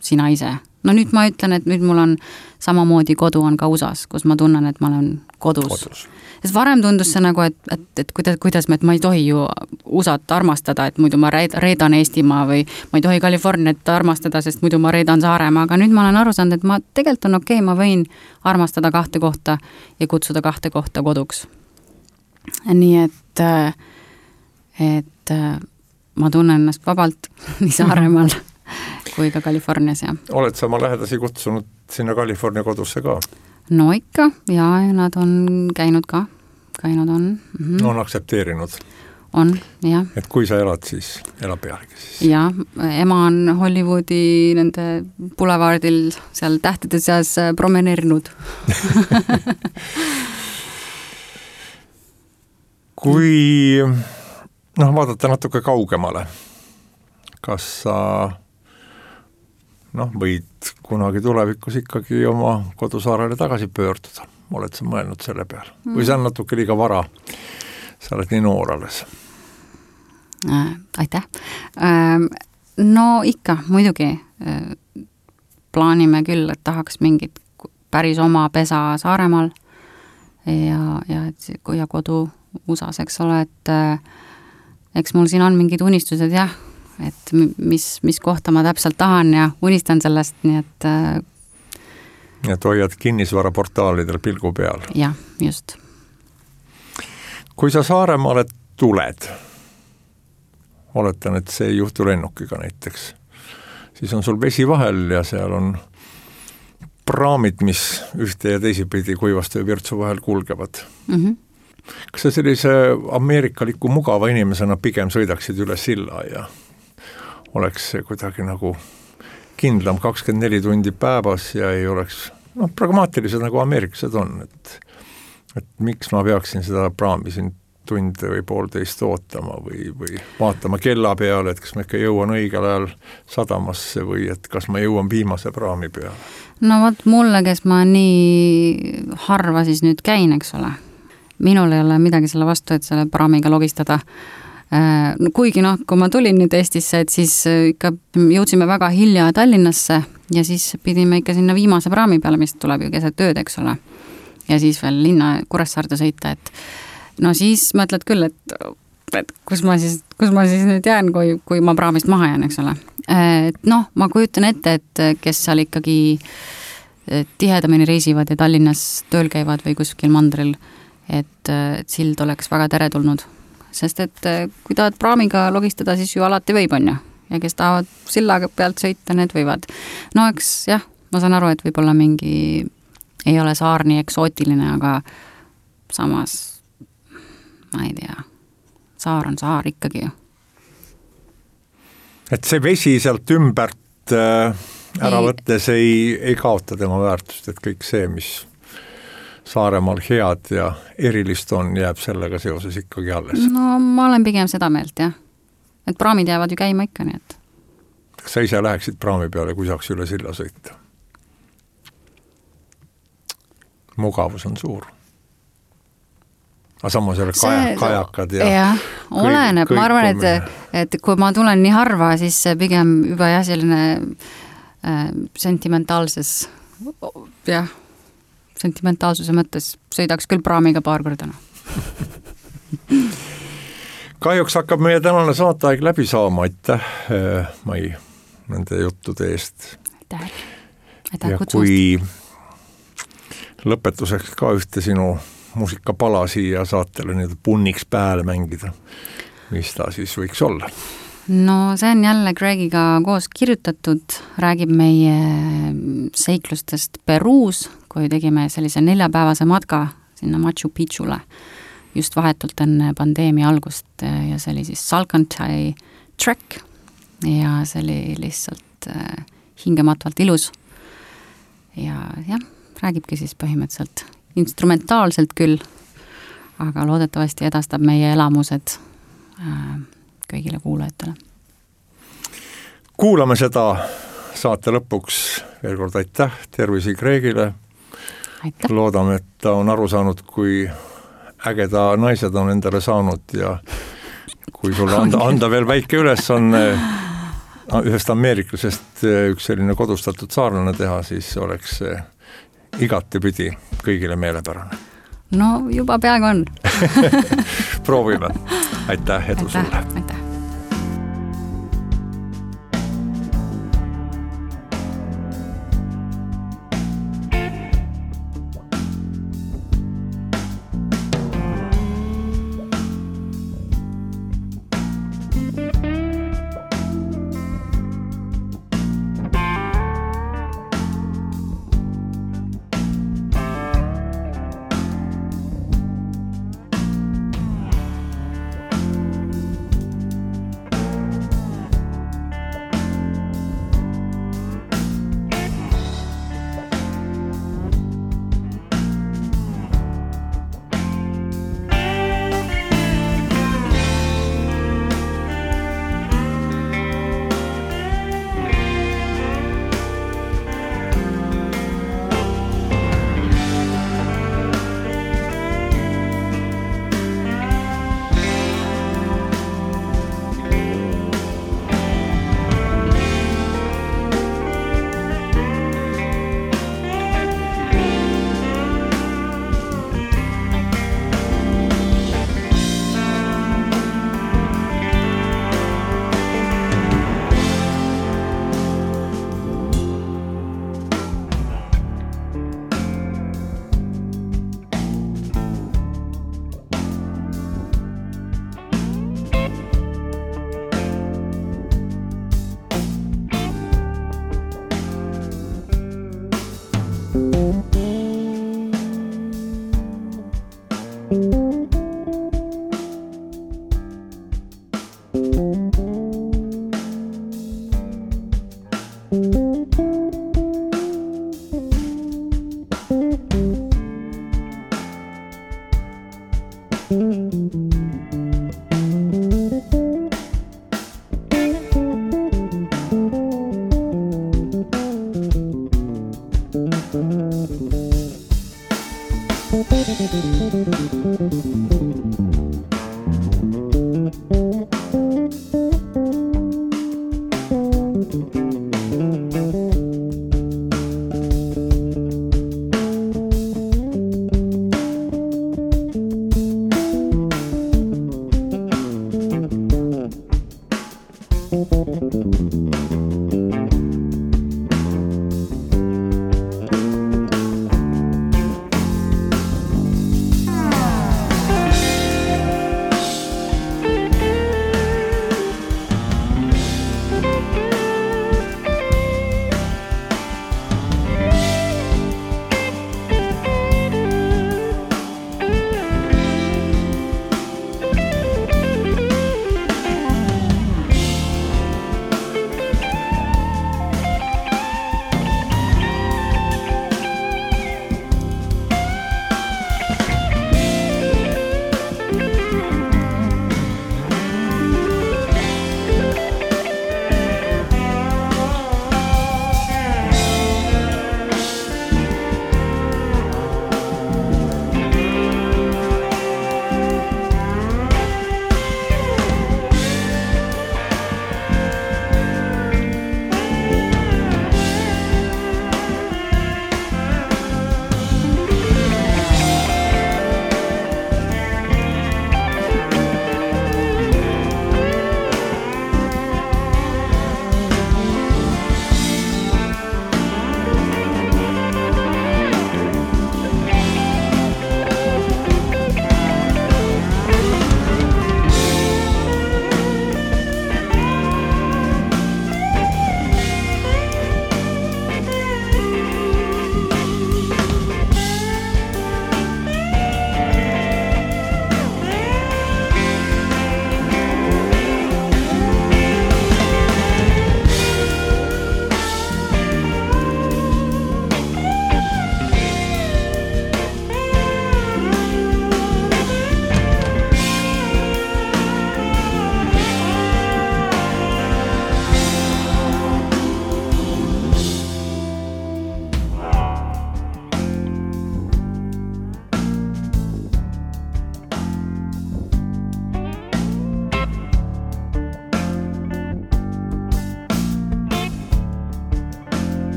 sina ise. No nüüd ma ütlen, et nüüd mul on samamoodi kodu on ka USAs, kus ma tunnen, et ma olen kodus. Sest varem tundus see nagu, et kuidas ma ei tohi ju USAt armastada, et muidu ma reedan Eestimaa või ma ei tohi Californiat armastada, sest muidu ma reedan Saaremaa, aga nüüd ma olen aru saanud, et ma tegelikult on okei, ma võin armastada 2 kohta ja kutsuda 2 kohta koduks. Nii et ma tunnen ennast vabalt nii Saaremaal kui ka Californias, jah. Oled sa oma lähedasi kutsunud sinna California kodusse ka? No ikka, ja nad on käinud on. On aktsepteerinud? On, jah. Et kui sa elad, siis elab pealegi siis? Jah, ema on Hollywoodi nende boulevardil seal tähtede seas promeneerinud. Kui vaadata natuke kaugemale, kas sa võid kunagi tulevikus ikkagi oma kodusaarele tagasi pöörduda. Oled sa mõelnud selle peale? Või see on natuke liiga vara? Sa oled nii noor alles. Aitäh. No ikka, muidugi plaanime küll, et tahaks mingit päris oma pesa Saaremaal ja kodu USAs, eks ole, et eks mul siin on mingid unistused, jah, et mis kohta ma täpselt tahan ja unistan sellest, nii et et hoiad kinnisvaraportaalidel pilgu peal. Jah, just. Kui sa Saaremaale tuled, oletan, et see ei juhtu lennukiga näiteks, siis on sul vesi vahel ja seal on praamid, mis ühte ja teisipidi Kuivastu ja Virtsu vahel kulgevad. Kas sa sellise ameerikaliku mugava inimesena pigem sõidaksid üle silla ja oleks kuidagi nagu kindlam 24 tundi päevas ja ei oleks pragmaatilised nagu ameeriklased on, et miks ma peaksin seda praami siin tunde või poolteist ootama või vaatama kella peale, et kas ma ikka jõuan õigel ajal sadamasse või et kas ma jõuan viimase praami peale. No vot mulle, kes ma nii harva siis nüüd käin, eks ole, minul ei ole midagi selle vastu, et selle praamiga logistada. Kuigi kui ma tulin nüüd Eestisse, et siis ikka jõudsime väga hilja Tallinnasse ja siis pidime ikka sinna viimase praami peale, mis tuleb ju keset ööd, eks ole. Ja siis veel linna Kuressaarde sõita, et no siis mõtled küll, et kus ma siis nüüd jään, kui ma praamist maha jään, eks ole. Ma kujutan ette, et kes seal ikkagi tihedamini reisivad ja Tallinnas tööl käivad või kuskil mandril, et sild oleks väga teretulnud. Sest et kui tahad praamiga logistada, siis ju alati võib, on ju. Ja kes tahavad sillaga pealt sõita, need võivad. No eks jah, ma saan aru, et võib-olla mingi ei ole saar nii eksootiline, aga samas ma ei tea, saar on saar ikkagi ju. Et see vesi sealt ümbert ära võttes ei kaota tema väärtust, et kõik see, mis Saaremaal head ja erilist on, jääb sellega seoses ikkagi alles. No ma olen pigem seda meelt, jah. Et praamid jäävad ju käima ikka, nii et. Kas sa ise läheksid praami peale, kui saaks üle silla sõita? Mugavus on suur. Aga samas jälle kajakad ja... Jah, oleneb. Ma arvan, et kui ma tulen nii harva, siis pigem juba jah, selline sentimentaalsuse mõttes sõidaks küll praamiga paar korda. Kahjuks hakkab meie tänane saateaeg läbi saama, aitäh Mai nende juttude eest. Aitäh ja kutsust. Kui lõpetuseks ka ühte sinu muusikapala siia saatele nii punniks pääle mängida, mis ta siis võiks olla? No see on jälle Gregiga koos kirjutatud, räägib meie seiklustest Peruus, kui tegime sellise 4-päevase matka sinna Machu Picchule just vahetult enne pandeemia algust ja see oli siis Salcantay Trek ja see oli lihtsalt hingematvalt ilus ja jah, räägibki siis põhimõtteliselt instrumentaalselt küll, aga loodetavasti edastab meie elamused kõigile kuulajatele. Kuulame seda saate lõpuks. Veel kord aitäh, tervisi Gregile. Aitäh. Loodame, et ta on aru saanud, kui ägeda naised on endale saanud ja kui sulle anda veel väike ülesanne ühest ameeriklasest üks selline kodustatud saarlane teha, siis oleks igatepidi kõigile meelepärane. No juba peaaegu on. Proovime. Aitäh, edu sulle. Aitäh.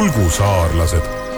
ulgusaarlased